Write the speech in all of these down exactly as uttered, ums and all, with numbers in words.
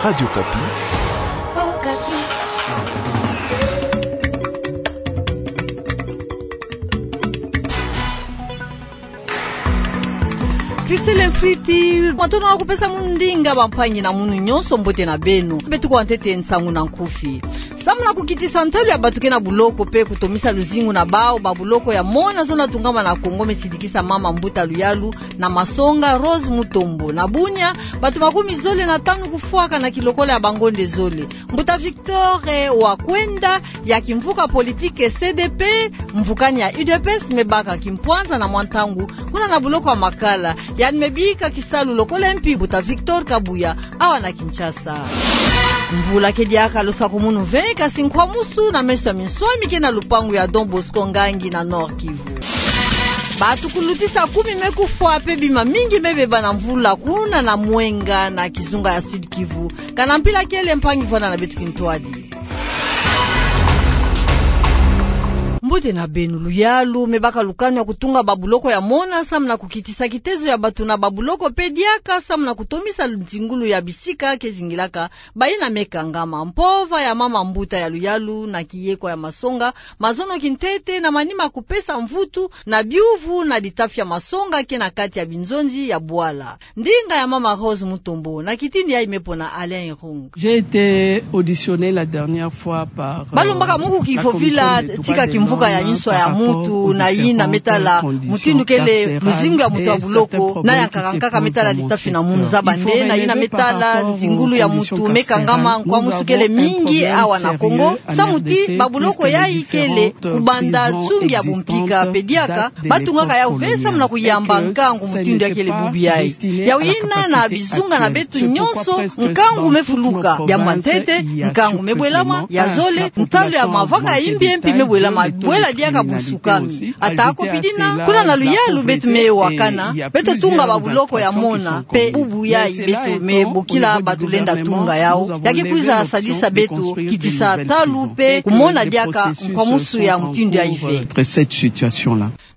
Radio Okapi. Christelle Mfwiti, matondo na kupesa munu ndinga, bampangi na munu nyonso, mbote na beno. Beto kwa ntete nsangu na nkufi. Samu na kukitisa ntalu ya bato ke na buloko pe kutomisa luzingu na bawu, babuloko ya mona zona tungama na Kongo mesidikisa mama mbuta luyalu na masonga Rose Mutombo. Na bunia, bato makumi zole na tanu kufwaka na kilokola ya bangonde zole. Mbuta Victor, eh, Wakwenda, ya kimvuka politike C D P, mvukani ya U D P S, mebaka kimpwanza na mwa ntangu kuna na buloko ya Makala. Yandi mebika kisalu lokola M P. Mbuta Victor Kabuya, awa na Kinshasa. Mvula ke diaka losakumunu ve, kasi nkwamusu na meso ya minswami ke na lupangu ya Don Bosco Ngangi na Nord-Kivu. Bato kulutisa kumi mekufwa pe bima mingi mebeba na mvula kuna na Mwenga na kizunga ya Sud-Kivu. Kana mpila kele, mpangi, vwanda na beto kintwadi. Mbote na beno. Luyalu mebaka lukanu ya kutunga babuloko ya mona samu na kukitisa kitezo ya bato na babuloko pe diaka samu na kutomisa nzingulu ya bisika ke zingilaka bayina mekangama. Mpova ya mama mbuta ya luyalu na kiyekwa ya masonga, mazono kintete na manima kupesa mvutu na biuvu na ditafi ya masonga ke na kati ya binzonzi ya bwala. Ndinga ya mama Rose Mutombo na kitini yayi mepona Alain Irung. J'ai été auditionnée la dernière fois par, euh, balombaka muku kifofila tika kimvuka ya nswa ya mutu na yina metala mutindu kele luzingu ya mutu ya buloko na ya nkaka nkaka metala ditafi na munu. Zaba nde na yina metala nzingulu ya mutu mekangama nkwamusu kele mingi awa na Kongo, samu ti babuloko yayi kele kubanda nsungi ya bumpika pe diaka batungaka yawu ve samu na kuyamba nkangu mutindu ya kele bubu yayi. Yawu yina na bizunga na beto nyonso nkangu mefuluka. Diambu ya ntete, nkangu mebwelama. Ya zole, ntalu ya mavanga ya imbi mpi mebwelama, bwela diaka busukami. Atako pi dina, kuna na luyalu beto mewakana, beto tunga babuloko ya mona, pe bubu yayi beto mebokila bato lenda tunga yawu, ya ke kwiza sadisa beto kitisa ntalu pe kumona diaka nkwamusu ya mutindu yayi ve.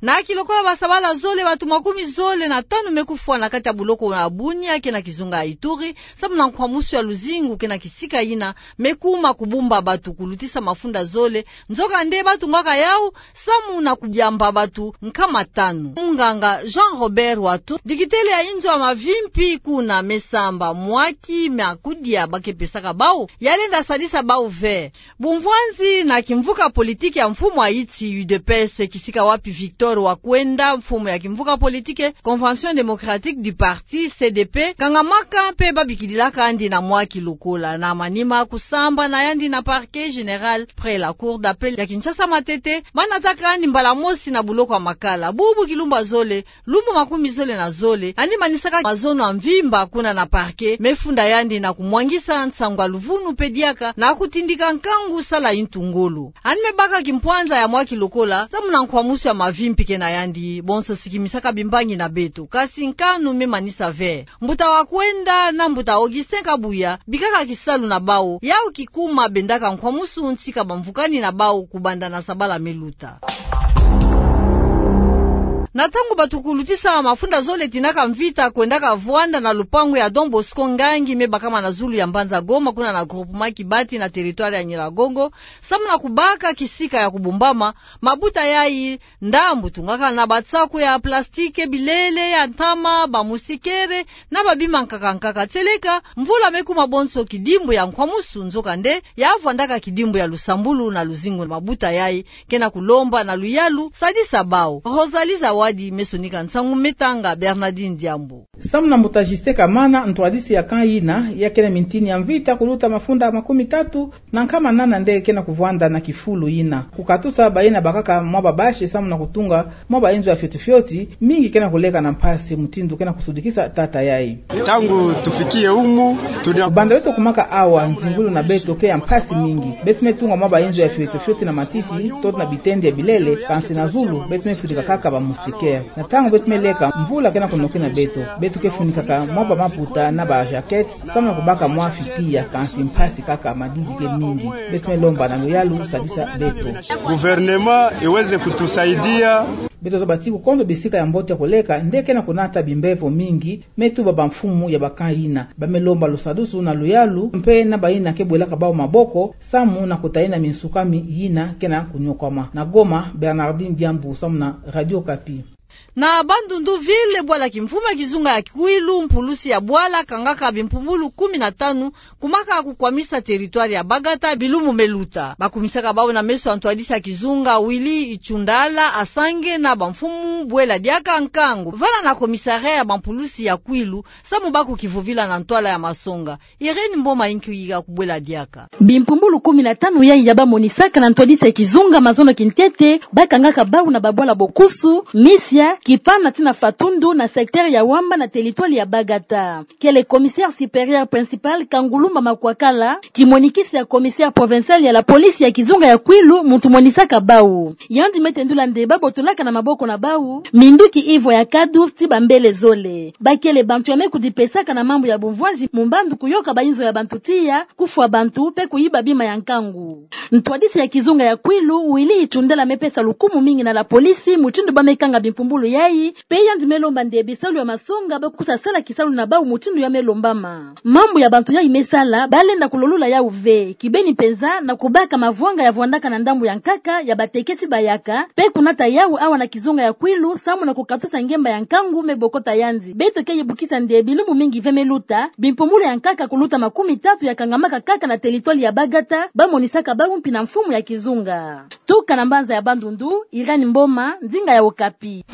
Na kilokola basabala zole, bato makumi zole na tanu mekufwa na kati ya buloko na Bunia ke na kizunga ya Ituri, samu na nkwamusu ya luzingu ke na kisika yina mekuma kubumba bato kulutisa mafunda zole. Nzoka nde batungaka yawu samu na kudiamba bato nkama tanu. Munganga Jean Robert Watu, dikitele ya inzo ya mavimpi kuna, mesamba mwaki ma kudia ba ke pesaka bawu, ya lenda sadisa bawu ve. Bumvwanzi na kimvuka politike ya mfumu Haïti, U D P S, kisika wapi Victor Wakwenda, mfumu ya kimvuka politike Convention Démocratique du Parti, C D P, kangamaka mpe babikidilaka yandi na mwa kilokola. Na manima kusamba na yandi na Parquet Général près la Cour d'Appel ya Kinshasa Matete, banataka yandi mbala mosi na buloko ya Makala. Bubu kilumbu ya zole, lumbu makumi zole na zole, yandi manisaka mazono ya mvimba kuna na parquet, mefunda yandi na kumwangisa nsangu ya luvunu mpe diaka na kutindika nkangu sala yintu ngolo. Yandi mebaka kimpwanza ya mwa kilokola, samu na nkwamusu ya mavimpi ke na yandi, bonso sikimisaka bimbangi na beto. Kasi nkanu memanisa ve. Mbuta Wakwenda na mbuta Augustin Kabuya, bikaka kisalu na bawu, yawu kikuma bendaka nkwamusu ntika bamvukani na bawu kubanda na sabala meluta. Na ntangu bato kulutisa mafunda zole tinaka mvita kwendaka vwanda na lupangu ya Don Bosco Ngangi mebakama na zulu ya mbanza Goma kuna na groupement Kibati na territoire ya Nyiragongo, samu na kubaka kisika ya kubumbama, mabuta yayi ndambu tungaka na basaku ya plastike, bilele ya ntama, bamusikere, na babima nkaka nkaka. Tieleka, mvula mekuma bonso kidimbu ya nkwamusu, nzoka nde ya vwandaka kidimbu ya lusambulu na luzingu. Mabuta yayi ke na kulomba na luyalu sadisa bawu. Rosalie Zawadi mesonika nsangu, metanga Bernardine Diambu. Samu na mbuta Justin Kamana, ntwadisi ya camp yina, ya ke na mintini ya mvita kuluta mafunda makumi tatu na nkama nana nde ke na kuvwanda na kifulu yina. Kukatusa bayina bakaka mwa babâche samu na kutunga mwa bainzo ya fioti fioti, mingi ke na kuleka na mpasi, mutindu ke na kusudikisa tata yayi. Ntangu tufikiye humu, tuna- Banda beto kumaka awa, nzingulu na beto ke ya mpasi mingi. Beto metunga mwa bainzo ya fioti fioti na matiti, toto na bitende ya bilele, kansi na zulu beto mefudika kaka bamusikere. Na ntangu beto meleka, mvula ke na kunokena beto. Beto ke funikaka mwa bamaputa na bajaquette, samu na kubaka mwa fitiya, kansi mpasi kaka, madidi ke mingi. Beto melomba na luyalu sadisa beto. Gouvernement iweze kutusaidia. Beto zaba ti kukondo bisika ya mbote ya koleka nde ke na kunata bimbevo mingi, me tuba bamfumu ya ba camp yina. Ba me lomba lusadusu na luyalu mpe na bayina ke bwelaka bawu maboko, samu na kutayina minsukami yina ke na kunyokwama. Na Goma, Bernardine Diambu, samu na Radio Okapi. Na Bandundu-Ville, bwala kimfumu ya kizunga ya Kwilu, mpulusi ya bwala kangaka bimpumbulu kumi na tanu, kumaka kukwamisa territoire ya Bagata bilumbu me luta. Bakumisaka bawu na meso ya ntwadisi ya kizunga Willy Itshundala, asange na bamfumu bwela diaka nkangu vana na commissariat ya bampulusi ya Kwilu, samu bako kivovila na ntwala ya masonga. Irène Mboma yinki yika kubwela diaka. Bimpumbulu kumi na tanu yayi ya bamonisaka na ntwadisi ya kizunga mazono kintete, bakangaka bawu na babwala bokusu, Misia, Kipana ti na Fatundu na secteur ya Wamba na territoire ya Bagata. Kele commissaire supérieur principal Kangulumba Makwakala, kimonikisi ya commissaire provincial ya la police ya kizunga ya Kwilu, muntu monisaka bawu. Yandi me tendula nde babotolaka na maboko na bawu minduki ivo ya kadu ti bambele zole. Bakele bantu ya me kudipesaka na mambu ya bumvwanzi mu mbandu, kuyoka bayinzo ya bantu tiya, kufwa bantu mpe kuyiba bima ya nkangu. Ntwadisi ya kizunga ya Kwilu, Willy Itshundala, me pesa lukumu mingi na la police mutindu ba me kanga bimpumbulu yayi, mpe yandi me lomba nde bisalu ya masonga bakwiza sala kisalu na bawu mutindu ya me lombama. Mambu ya bantu yayi me sala, ba lenda kulolula yawu ve, kibeni mpenza na kubaka mavwanga ya vwandaka na ndambu ya nkaka ya bateke ti bayaka, mpe kunata yawu awa na kizunga ya Kwilu, samu na kukatusa ngemba ya nkangu me bokota yandi. Beto ke yibukisa nde bilumbu mingi ve me luta, bimpumbulu ya nkaka kuluta makumi tatu ya kangamaka kaka na territoire ya Bagata, bamonisaka bawu mpi na mfumu ya kizunga. Tuka na mbanza ya Bandundu, Irène Mboma, nzinga ya Okapi.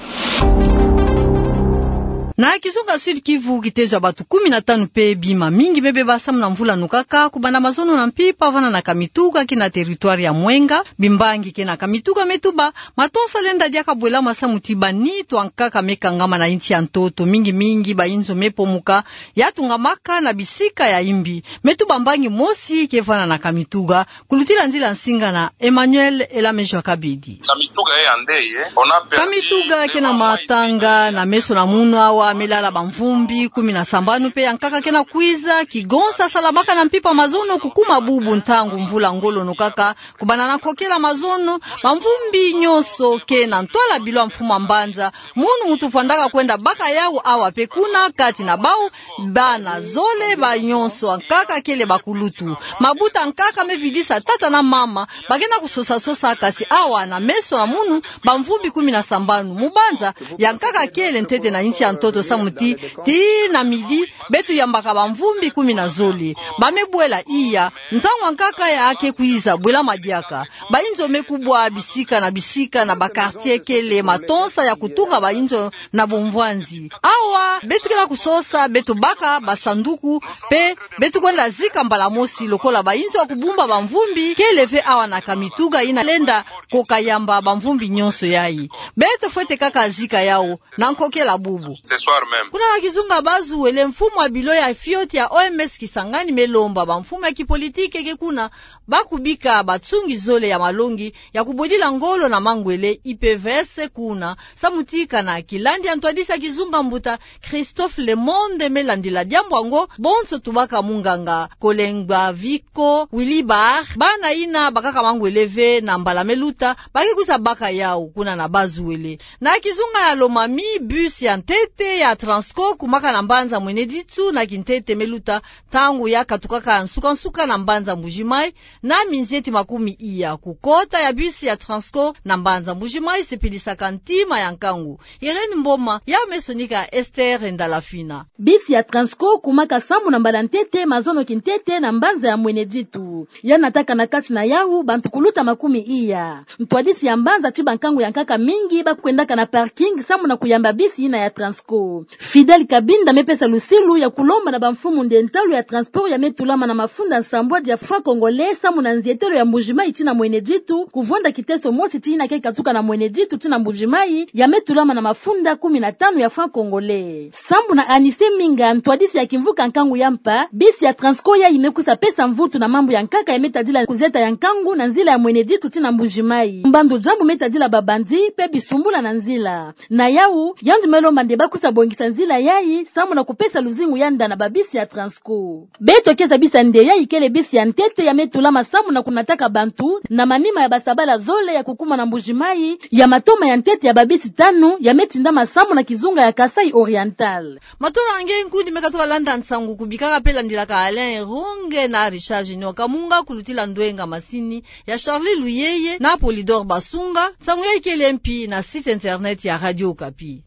Na kizunga Sud-Kivu, kitezo ya batu kumi na tanu mpe bima mingi me beba samu na mvula nukaka, kubanda mazono na mpimpa vana na Kamituga kina territoire ya Mwenga. Bimbangi kena Kamituga me tuba, matonsa lenda diaka bwelama samu ti banitu ya nkaka me kangama na insi ya ntoto, mingi mingi bayinzo me pomuka, ya tungamaka na bisika ya imbi. Me tuba mbangi mosi ke vana na Kamituga, kulutila nzila nsinga na Emmanuel Elamejo Kabidi. Kamituga kena matanga na meso na munu awa me lala bamvumbi kumi na sambanu mpe ya nkaka kena kwiza, kigonsa salamaka na mpimpa mazono kukuma bubu ntangu mvula ngolo nukaka, kubanda na kokela mazono, bamvumbi nyonso ke na ntwala bilo ya mfumu ya mbanza, munu muntu vwandaka kwenda baka yawu awa mpe kuna, kati na bawu bana zole, ba nyonso ya nkaka kele bakulutu. Mabuta ya nkaka me vidisa tata na mama, ba kena kusosa-sosa, kasi awa na meso na munu, bamvumbi kumi na sambanu. Mu mbanza, ya nkaka kele ntete na insi ya ntoto samu ti, tii na midi, beto yambaka bamvumbi kumi na zole. Ba me bwela iya, ntangu ya nkaka ya ke kwiza bwelama diaka. Bayinzo me kubwa bisika na bisika na ba quartier kele matonsa ya kutunga bayinzo na bumvwanzi. Awa, beto kena kusosa, beto baka basanduku, mpe beto kwenda zika mbala mosi lokola bayinzo ya kubumba bamvumbi kele ve awa na Kamituga yina lenda koka yamba bamvumbi nyonso yayi. Beto fwete kaka zika yawu na nkokela bubu. Kuna na kizunga Bas-Uele, mfumu ya bilo ya fioti ya O M S Kisangani me lomba bamfumu ya kipolitike ke kuna, ba kubika batsungi zole ya malongi ya kubwedila ngolo na mangwele, I P V S, kuna, samu ti kana kilandi ya ntwadisi ya kizunga mbuta Christophe Lemonde me landila diambu yango, bonso tubaka munganga Kolengba Viko Wilibar, bana yina bakaka mangwele ve na mbala me luta, ba ke kwiza baka yawu kuna na Bas-Uele. Na kizunga ya Lomami, bus ya ntete ya Transco kumaka na mbanza Mweneditu na kintete me luta, ntangu ya katukaka nsuka-nsuka na mbanza Mbuji-Mayi, na minzieti makumi iya. Kukota ya bus ya Transco na mbanza Mbuji-Mayi sepelisaka ntima ya nkangu. Irène Mboma, yawu me sonika Esther Ndalafina. Bus ya Transco kumaka sambu na mbala ntete mazono kintete na mbanza ya Mweneditu. Ya nataka na kati na yawu bantu kuluta makumi iya. Ntwadisi ya mbanza ti bankangu ya nkaka mingi ba kwendaka na parking sambu na kuyamba bus yina ya Transco. Fidèle Kabinda me pesa lusilu ya kulomba na bamfumu nde ntalu ya transport ya me tulama na mafunda nsambwadi ya franc congolais sambu na nzietelo ya Mbuji-Mayi tii na Mweneditu, kuvwanda kiteso mosi ti yina ke katuka na Mweneditu tii na Mbuji-Mayi, ya me tulama na mafunda kumi na tanu ya franc congolais. Sambu na Anise Minga, ntwadisi ya kimvuka nkangu ya mpa, bus ya Transco yayi me kwiza pesa mvutu na mambu ya nkaka ya me tadila kuzeta ya nkangu na nzila ya Mweneditu tii na Mbuji-Mayi. Mbandu diambu me tadila ba bandits mpe bisumbula na nzila. Na yawu, yandi me lomba nde ba kwiza babongisa nzila yayi samu na kupesa luzingu ya nda na babisi ya Transco. Beto ke zabisa nde yayi kele bisi ya ntete ya me tulama samu na kunataka bantu na manima ya basabala zole ya kukuma na Mbuji-Mayi, ya matoma ya ntete ya babisi tanu ya me tindama samu na kizunga ya Kasaï Oriental. Matondo na nge nkundi me katuka landa nsangu kubikaka pe landilaka Alain Ronge na Richard Junior Kamunga, kulutila ndwenga masini ya Charlie Luyeye na Polydor Basunga. Nsangu yayi kele mpi na site internet ya Radio Okapi.